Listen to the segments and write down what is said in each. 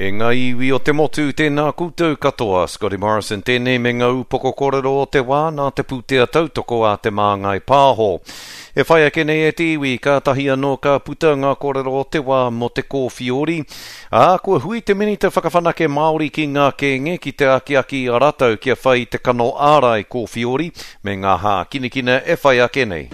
E ngā iwi o te motu, tēnā koutou katoa. Scotty Morrison tēnei me ngā upoko kōrero o te wā nā te pūtea tautoko a Te Māngai Pāho. E whai ake nei e te iwi, kātahi anō ka puta ngā kōrero o te wā mō te kōwhiori. Ā, kua hui te Minita Whakawhanake Māori ki ngā kēnge ki te akiaki i a rātou kia whai i te kano ārai kōwhiori me ngā hākinakina e whai ake nei.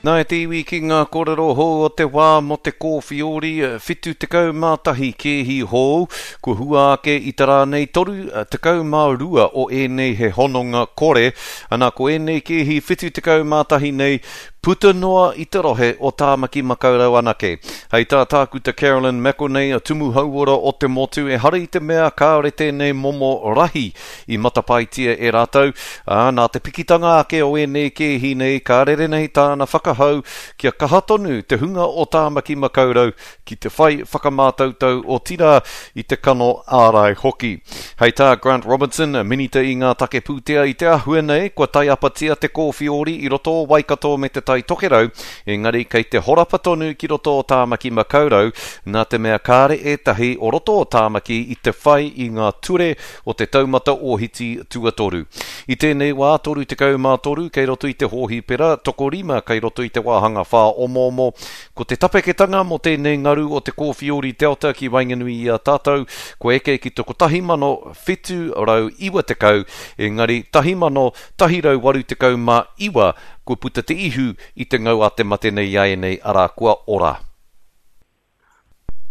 Nā e te iwi ki ngā kōrero hou o te wā mō te kōwhiori 71 kēhi hou, kua hua ake i te rā nei 32 o ēnei he hononga kore, ana ko ēnei kēhi 71 nei puta noa i te rohe o Tāmaki Makaurau anake. Hei tā Tākuta Carolyn McElnay, Tumu Hauora o te motu, ehara i te mea kāore tēnei momo rahi i matapaetia e rātou, ā, nā te pikitanga ake o ēnei kēhi nei ka rere nei tāna whakahau kia kaha tonu te hunga o Tāmaki Makaurau ki te whai whakamātautau otirā i te kano ārai hoki. Hei tā Grant Robinson, Minita i ngā take pūtea i te āhua nei, kua taiapatia te kōwhiori i roto o Waikato me Te Tai Tokerau, engari kei te horapa tonu ki roto o Tāmaki Makaurau, nā te mea kāre ētahi o roto o Tāmaki i te whai i ngā ture o te taumata ōhiti tuatoru. I tēnei wā, 33 kei roto i te hōhipera, tokorima kei roto i te wāhanga whāomoomo. Ko te tapeketanga mō tēnei ngaru o te kōwhiori Delta ki waenganui i a tātou, kua eke ki te 1790, engari 1189 kua puta te ihu i te ngau a te mate nei iāianei, arā, kua ora.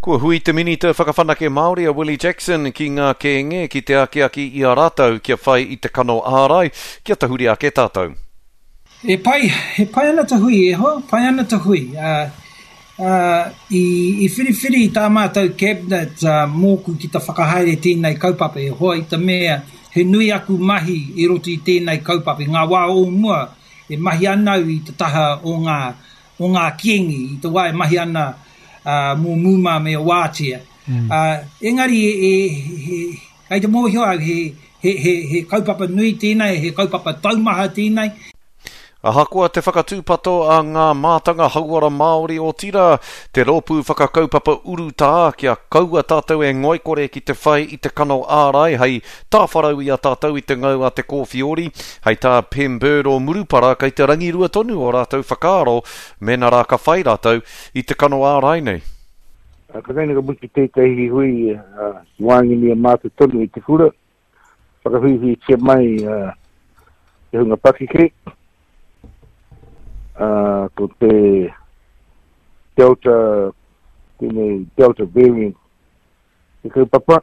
Kua hui te Minita Whakawhanake Māori a Willie Jackson ki ngā kēnge ki te akiaki i a rātou kia whai i te kano ārai kia tahuri ake tātou. E pai, e pai ana te hui e hoa, pai ana te hui. I, i whiriwhiri tā mātou cabinet mōku ki te whakahaere tēnei kaupapa e hoa i te mea he nui aku mahi i roto i tēnei kaupapa. I ngā wā o mua e mahi ana au i te taha o ngā o ngā kīngi i te wā e mahi ana mō Mūmā me Wātea. Engari, kei te mōhio au he, he, he, he kaupapa nui tēnei, he kaupapa taumaha tēnei. Ahakoa te whakatūpato a ngā mātanga hauora Māori otirā, te rōpū whakakaupapa urutā kia kaua tātou e ngoikore ki te whai i te kano ārai hei tāwharau i a tātou i te ngau a te kōwhiori, hei tā Pem Bird o Murupara kei te rangirua tonu ō rātou whakaaro mēnā rā ka whai rātou i te kano ārai nei. Ka tae nei ka mutu tētahi hui ki waenganui a mātou tonu i te kura, whakahuihuitia mai te hunga pakeke, ko te Delta, tēnei Delta variant te kaupapa,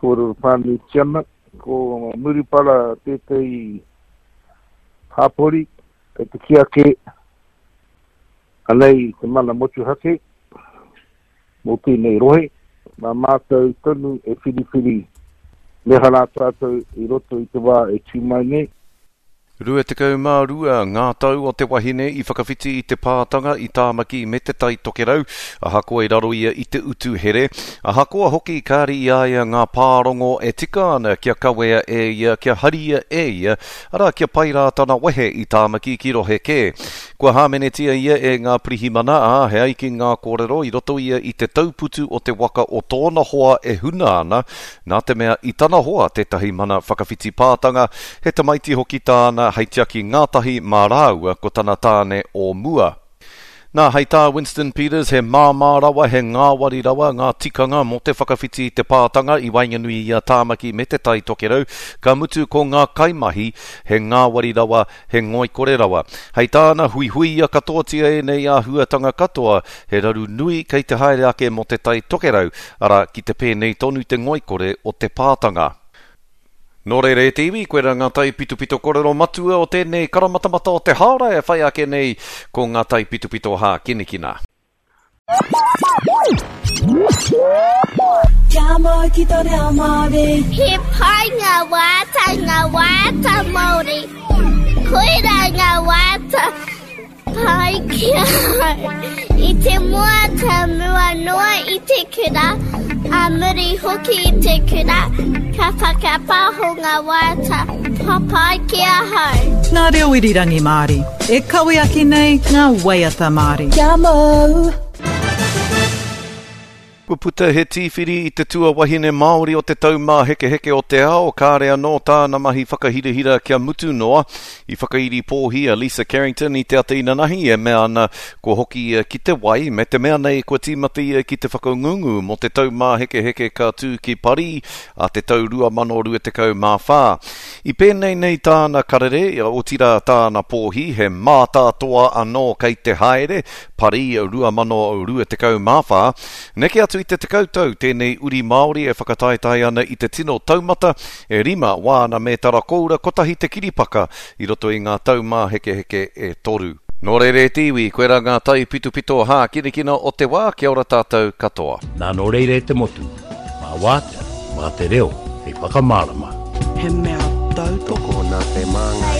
kōrero whānuitia ana, ko Murupara tētahi hapori kei te kī ake anei te mana motuhake mō tēnei rohe, mā mātou tonu e whiriwhiri me aha rā tātou i roto i te wā e tū mai nei. 22 ngā tau o te wahine i whakawhiti i te pātanga i Tāmaki me Te Tai Tokerau, ahakoa i raro ia i te utu here, ahakoa hoki kāre i a ia ngā pārongo e tika ana kia kawea e ia, kia haria e ia, arā, kia pai rā tana wehe i Tāmaki ki rohe kē. Kua hāmenetia ia e ngā pirihimana, ā, he ai ki ngā kōrero i roto ia i te tauputu o te waka o tōna hoa e huna ana, Nā te mea i tana hoa tētahi mana whakawhiti pātanga, he tamaiti hoki tāna hei tiaki ngātahi mā rāua ko tana tāne o mua. Nā, hei tā Winston Peters, he māmā rawa, he ngāwari rawa ngā tikanga mō te whakawhiti i te pātanga i waenganui i a Tāmaki me Te Tai Tokerau, ka mutu ko ngā kaimahi he ngāwari rawa, he ngoikore rawa. Hei tāna, huihuia katoatia ēnei āhuatanga katoa, he raru nui kei te haere ake mō Te Tai Tokerau, arā, ki te pēnei tonu te ngoikore o te pātanga. Nō reira e te iwi, koirā ngā taipitopito korero matua o tēnei karamatamata o te hāora e whai ake nei ko ngā taipitopito hākinakina. Kia mau ki te reo Māori. He pai ngā waiata, ngā waiata Māori. Koirā ngā waiata Pai ki ahau. I te moata mua noa i te kura, a muri hoki i te kura, ka whakapaho nga waiata papai ki ahau. Ngā reo irirangi Māori, e kawe ake nei ngā waiata Māori. Kia mau! Kua puta he tīwhiri i te tuawahine Māori o te Taumāhekeheke o te Ao, kāre anō tāna mahi whakahirahira kia mutu noa. I whakairi pōhi a Lisa Carrington i te ata inanahi e mea ana kua hoki ia ki te wai, me te mea nei kua tīmata ia ki te whakangungu mō te Taumāhekeheke ka tū ki Parī a te tau 2024. I pēnei nei tāna karere, otirā tāna pōhi, he mātātoa anō kei te haere, Parī 2024. Neke atu i te 10 tau tēnei uri Māori e whakataetae ana i te tino taumata, e rima wāna mētara koura kotahi te kiripaka i roto i ngā taumāhekeheke e toru. Nō reira e te iwi, koirā ngā taipitopito hākinakina o te wā, kia ora tātou katoa. Nā nō reira e te motu, mā wātea, mā te reo hei whakamārama. He mea tautoko nā te māngai.